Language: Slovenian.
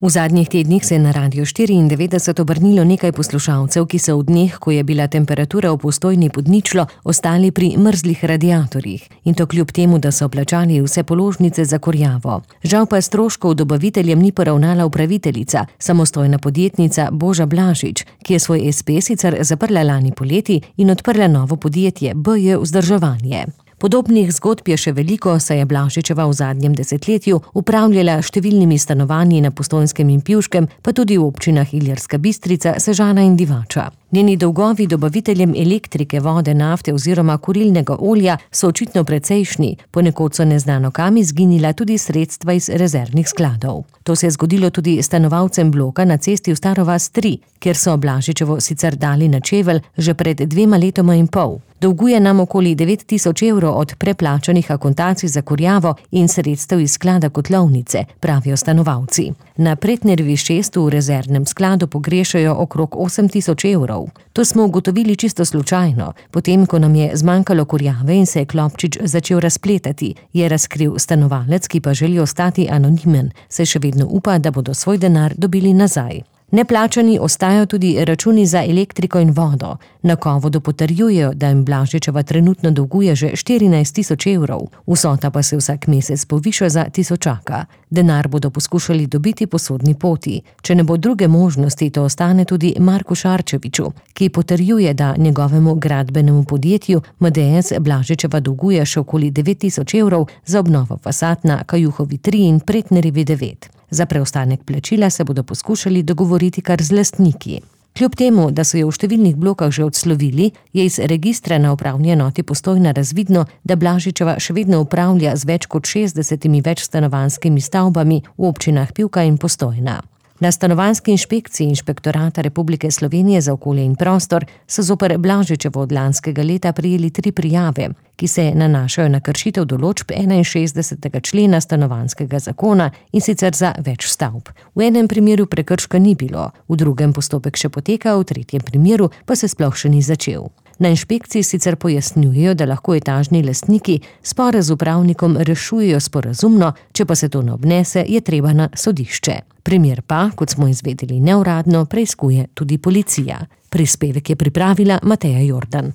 V zadnjih tednih se je na Radiu 94 obrnilo nekaj poslušalcev, ki so v dneh, ko je bila temperatura v Postojni pod ničlo, ostali pri mrzlih radiatorjih. In to kljub temu, da so plačali vse položnice za kurjavo. Žal pa stroškov dobaviteljem ni poravnala upraviteljica, samostojna podjetnica Boža Blažič, ki je svoj espe sicer zaprla lani poleti in odprla novo podjetje BJ Vzdrževanje. Podobnih zgodb je še veliko, saj je Blažičeva v zadnjem desetletju upravljala številnimi stanovanji na Postojnskem in Pivškem, pa tudi v občinah Ilirska Bistrica, Sežana in Divača. Njeni dolgovi dobaviteljem elektrike, vode, nafte oziroma kurilnega olja so očitno precejšnji, ponekod so neznano kam izginila tudi sredstva iz rezervnih skladov. To se je zgodilo tudi stanovalcem bloka na cesti v Staro vas 3, kjer so Blažičevo sicer dali na čevelj že pred 2 letoma in pol. Dolguje nam okoli 9.000 evrov od preplačanih akontacij za kurjavo in sredstev iz sklada kotlovnice, pravijo stanovalci. Na Pretnerjevi 6 v rezervnem skladu pogrešajo okrog 8.000 evrov. To smo ugotovili čisto slučajno, potem ko nam je zmanjkalo kurjave in se je klopčič začel razpletati, je razkril stanovalec, ki pa želi ostati anonimen, saj še vedno upa, da bodo svoj denar dobili nazaj. Neplačani ostajajo tudi računi za elektriko in vodo. Na Kovodu potrjujejo, da jim Blažičeva trenutno dolguje že 14.000 evrov, vsota pa se vsak mesec poviša za tisočaka. Denar bodo poskušali dobiti po sodni poti. Če ne bo druge možnosti, to ostane tudi Marku Šarčeviču, ki potrjuje, da njegovemu gradbenemu podjetju MDS Blažičeva dolguje še okoli 9.000 evrov za obnovo fasad na Kajuhovi 3 in Pretnerjevi 9. Za preostanek plačila se bodo poskušali dogovoriti kar z lastniki. Kljub temu, da so jo v številnih blokah že odslovili, je iz registra na upravni enoti Postojna razvidno, da Blažičeva še vedno upravlja z več kot 60 večstanovanjskimi stavbami v občinah Pivka in Postojna. Na stanovanjski inšpekciji Inšpektorata Republike Slovenije za okolje in prostor so zoper Blažičevo od lanskega leta prejeli 3 prijave, ki se nanašajo na kršitev določb 61. člena stanovanjskega zakona in sicer za več stavb. V enem primeru prekrška ni bilo, v drugem postopek še poteka, v tretjem primeru pa se sploh še ni začel. Na inšpekciji sicer pojasnjujejo, da lahko etažni lastniki spore z upravnikom rešujejo sporazumno, če pa se to ne obnese, je treba na sodišče. Primer pa, kot smo izvedeli neuradno, preiskuje tudi policija. Prispevek je pripravila Mateja Jordan.